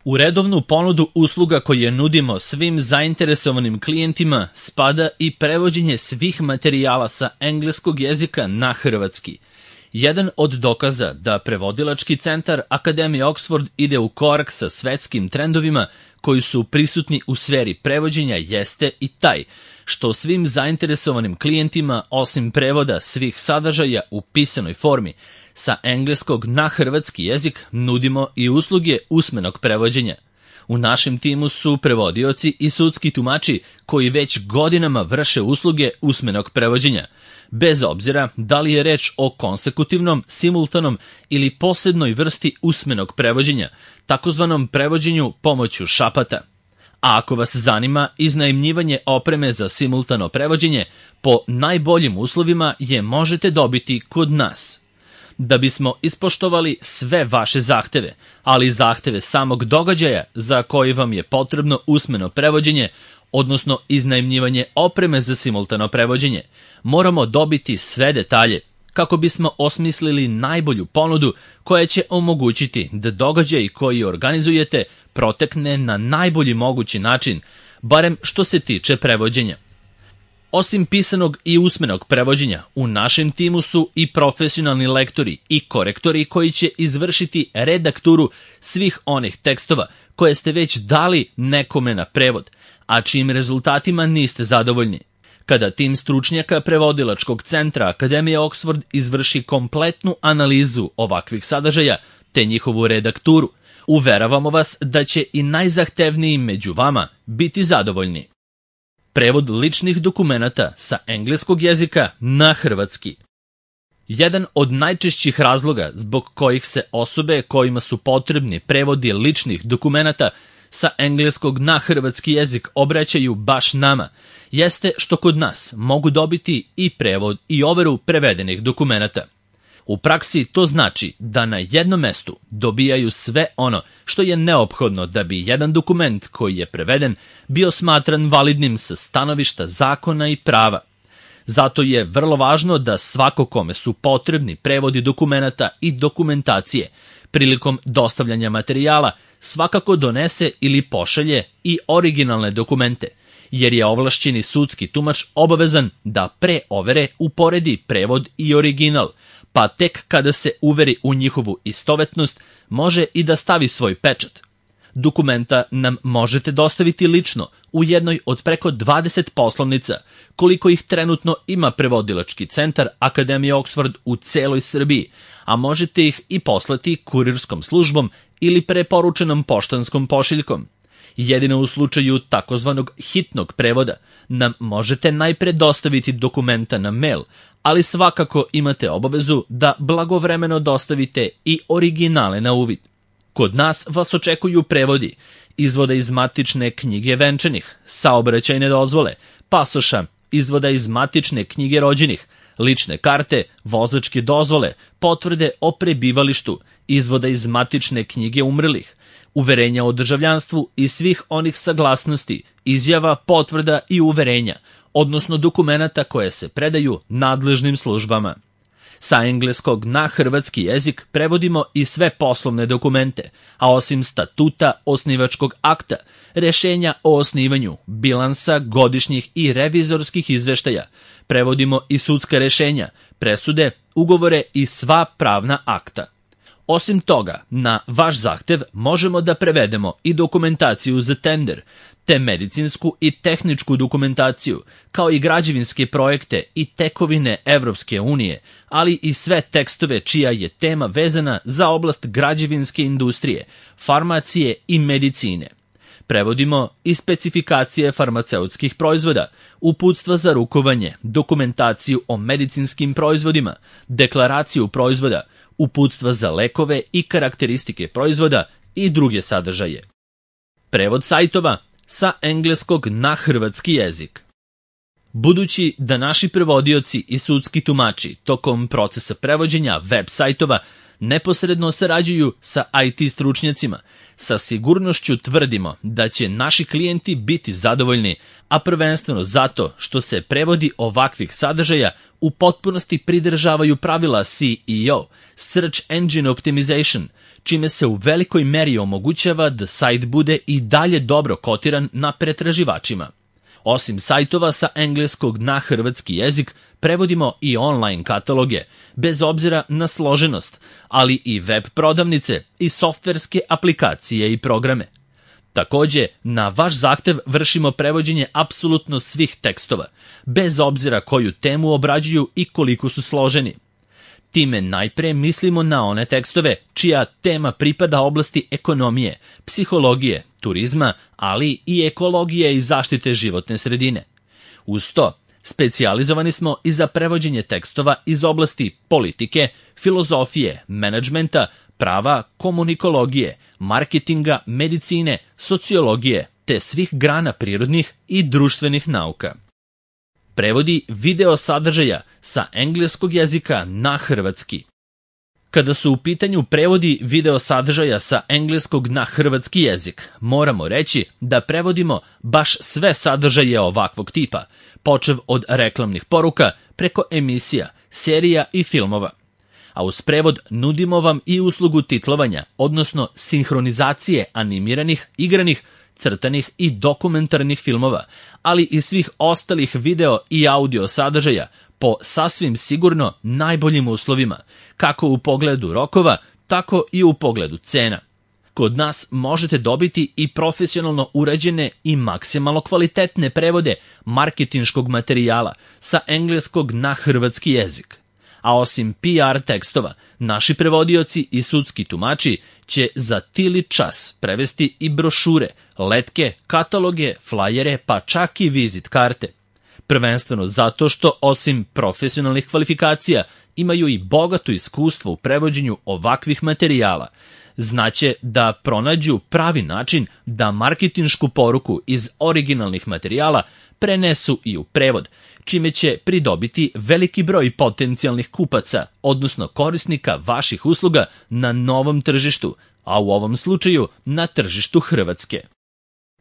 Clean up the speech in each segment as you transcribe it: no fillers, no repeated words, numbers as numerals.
U redovnu ponudu usluga koje nudimo svim zainteresovanim klijentima spada i prevođenje svih materijala sa engleskog jezika na hrvatski. Jedan od dokaza da prevodilački centar Akademije Oxford ide u korak sa svetskim trendovima koji su prisutni u sferi prevođenja jeste i taj što svim zainteresovanim klijentima, osim prevoda svih sadržaja u pisanoj formi, sa engleskog na hrvatski jezik nudimo i usluge usmenog prevođenja. U našem timu su prevodioci i sudski tumači koji već godinama vrše usluge usmenog prevođenja, bez obzira da li je reč o konsekutivnom, simultanom ili posebnoj vrsti usmenog prevođenja, takozvanom prevođenju pomoću šapata. A ako vas zanima iznajmljivanje opreme za simultano prevođenje, po najboljim uslovima je možete dobiti kod nas. Da bismo ispoštovali sve vaše zahteve, ali i zahteve samog događaja za koji vam je potrebno usmeno prevođenje, odnosno iznajmljivanje opreme za simultano prevođenje, moramo dobiti sve detalje kako bismo osmislili najbolju ponudu koja će omogućiti da događaj koji organizujete protekne na najbolji mogući način, barem što se tiče prevođenja. Osim pisanog i usmenog prevođenja, u našem timu su i profesionalni lektori i korektori koji će izvršiti redakturu svih onih tekstova koje ste već dali nekome na prevod, a čijim rezultatima niste zadovoljni. Kada tim stručnjaka prevodilačkog centra Akademije Oxford izvrši kompletnu analizu ovakvih sadržaja te njihovu redakturu, uveravamo vas da će i najzahtevniji među vama biti zadovoljni. Prevod ličnih dokumenata sa engleskog jezika na hrvatski. Jedan od najčešćih razloga zbog kojih se osobe kojima su potrebni prevodi ličnih dokumenata sa engleskog na hrvatski jezik obraćaju baš nama, jeste što kod nas mogu dobiti i prevod i overu prevedenih dokumenata. U praksi to znači da na jednom mestu dobijaju sve ono što je neophodno da bi jedan dokument koji je preveden bio smatran validnim sa stanovišta zakona i prava. Zato je vrlo važno da svako kome su potrebni prevodi dokumenata i dokumentacije prilikom dostavljanja materijala svakako donese ili pošalje i originalne dokumente, jer je ovlašćeni sudski tumač obavezan da pre overe uporedi prevod i original, pa tek kada se uveri u njihovu istovetnost može i da stavi svoj pečat. Dokumenta nam možete dostaviti lično u jednoj od preko 20 poslovnica, koliko ih trenutno ima prevodilački centar Akademije Oxford u celoj Srbiji, a možete ih i poslati kurirskom službom ili preporučenom poštanskom pošiljkom. Jedino u slučaju takozvanog hitnog prevoda nam možete najpre dostaviti dokumenta na mail, ali svakako imate obavezu da blagovremeno dostavite i originale na uvid. Kod nas vas očekuju prevodi, izvoda iz matične knjige venčanih, saobraćajne dozvole, pasoša, izvoda iz matične knjige rođenih, lične karte, vozačke dozvole, potvrde o prebivalištu, izvoda iz matične knjige umrlih, uverenja o državljanstvu i svih onih saglasnosti, izjava, potvrda i uverenja, odnosno dokumenata koje se predaju nadležnim službama. Sa engleskog na hrvatski jezik prevodimo i sve poslovne dokumente, a osim statuta, osnivačkog akta, rešenja o osnivanju, bilansa, godišnjih i revizorskih izveštaja, prevodimo i sudska rešenja, presude, ugovore i sva pravna akta. Osim toga, na vaš zahtev možemo da prevedemo i dokumentaciju za tender, te medicinsku i tehničku dokumentaciju, kao i građevinske projekte i tekovine Evropske unije, ali i sve tekstove čija je tema vezana za oblast građevinske industrije, farmacije i medicine. Prevodimo i specifikacije farmaceutskih proizvoda, uputstva za rukovanje, dokumentaciju o medicinskim proizvodima, deklaraciju proizvoda, uputstva za lekove i karakteristike proizvoda i druge sadržaje. Prevod sajtova sa engleskog na hrvatski jezik. Budući da naši prevodioci i sudski tumači tokom procesa prevođenja web sajtova neposredno sarađuju sa IT stručnjacima, sa sigurnošću tvrdimo da će naši klijenti biti zadovoljni, a prvenstveno zato što se prevodi ovakvih sadržaja u potpunosti pridržavaju pravila SEO, Search Engine Optimization, čime se u velikoj meri omogućava da sajt bude i dalje dobro kotiran na pretraživačima. Osim sajtova sa engleskog na hrvatski jezik, prevodimo i online kataloge, bez obzira na složenost, ali i web prodavnice i softverske aplikacije i programe. Takođe, na vaš zahtev vršimo prevođenje apsolutno svih tekstova, bez obzira koju temu obrađuju i koliko su složeni. Time najpre mislimo na one tekstove čija tema pripada oblasti ekonomije, psihologije, turizma, ali i ekologije i zaštite životne sredine. Uz to, specijalizovani smo i za prevođenje tekstova iz oblasti politike, filozofije, menadžmenta, prava, komunikologije, marketinga, medicine, sociologije, te svih grana prirodnih i društvenih nauka. Prevodi video sadržaja sa engleskog jezika na hrvatski. Kada su u pitanju prevodi video sadržaja sa engleskog na hrvatski jezik, moramo reći da prevodimo baš sve sadržaje ovakvog tipa, počev od reklamnih poruka preko emisija, serija i filmova. A uz prevod nudimo vam i uslugu titlovanja, odnosno sinhronizacije animiranih, igranih, crtanih i dokumentarnih filmova, ali i svih ostalih video i audio sadržaja po sasvim sigurno najboljim uslovima, kako u pogledu rokova, tako i u pogledu cena. Kod nas možete dobiti i profesionalno urađene i maksimalno kvalitetne prevode marketinškog materijala sa engleskog na hrvatski jezik. A osim PR tekstova, naši prevodioci i sudski tumači će za tili čas prevesti i brošure, letke, kataloge, flajere, pa čak i vizit karte. Prvenstveno zato što osim profesionalnih kvalifikacija imaju i bogato iskustvo u prevođenju ovakvih materijala. Znaće da pronađu pravi način da marketinšku poruku iz originalnih materijala prenesu i u prevod, čime će pridobiti veliki broj potencijalnih kupaca, odnosno korisnika vaših usluga na novom tržištu, a u ovom slučaju na tržištu Hrvatske.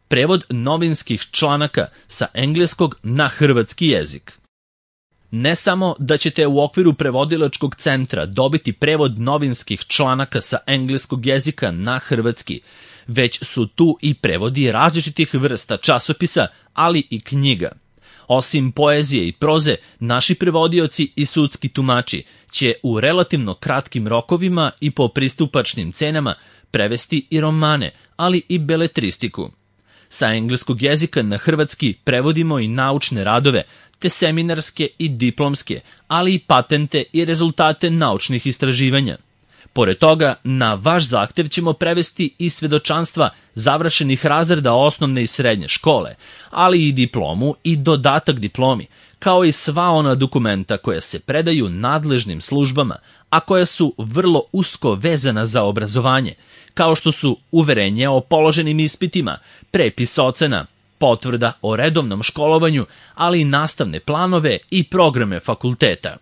Prevod novinskih članaka sa engleskog na hrvatski jezik. Ne samo da ćete u okviru prevodilačkog centra dobiti prevod novinskih članaka sa engleskog jezika na hrvatski, već su tu i prevodi različitih vrsta časopisa, ali i knjiga. Osim poezije i proze, naši prevodioci i sudski tumači će u relativno kratkim rokovima i po pristupačnim cenama prevesti i romane, ali i beletristiku. Sa engleskog jezika na hrvatski prevodimo i naučne radove, te seminarske i diplomske, ali i patente i rezultate naučnih istraživanja. Pored toga, na vaš zahtev ćemo prevesti i svedočanstva završenih razreda osnovne i srednje škole, ali i diplomu i dodatak diplomi, kao i sva ona dokumenta koja se predaju nadležnim službama, a koja su vrlo usko vezana za obrazovanje, kao što su uverenje o položenim ispitima, prepis ocena, potvrda o redovnom školovanju, ali i nastavne planove i programe fakulteta.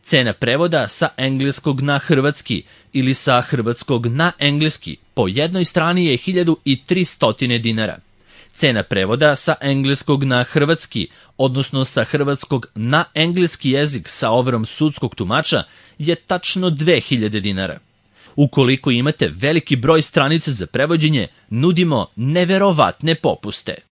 Cena prevoda sa engleskog na hrvatski ili sa hrvatskog na engleski po jednoj strani je 1300 dinara. Cena prevoda sa engleskog na hrvatski, odnosno sa hrvatskog na engleski jezik sa overom sudskog tumača, je tačno 2000 dinara. Ukoliko imate veliki broj stranica za prevođenje, nudimo neverovatne popuste.